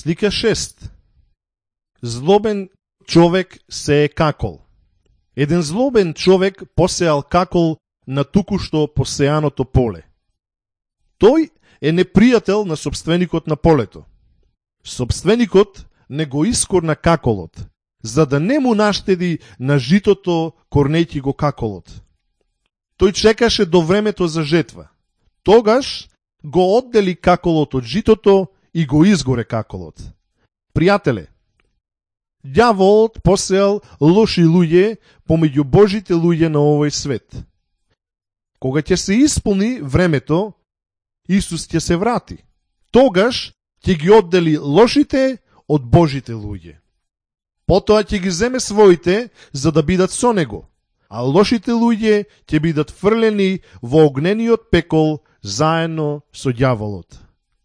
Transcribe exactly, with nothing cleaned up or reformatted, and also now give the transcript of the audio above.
Слика шест. Злобен човек се е какол. Еден злобен човек посеал какол на туку-што посеаното поле. Тој е непријател на собственикот на полето. Собственикот не го искорна каколот, за да не му наштеди на житото корнејќи го каколот. Тој чекаше до времето за жетва. Тогаш го оддели каколот од житото и го изгоре каколот. Пријателе, ѓаволот посеал лоши луѓе помеѓу Божите луѓе на овој свет. Кога ќе се исполни времето, Исус ќе се врати. Тогаш ќе ги оддели лошите од Божите луѓе. Потоа ќе ги земе своите за да бидат со него, а лошите луѓе ќе бидат фрлени во огнениот пекол заедно со ѓаволот.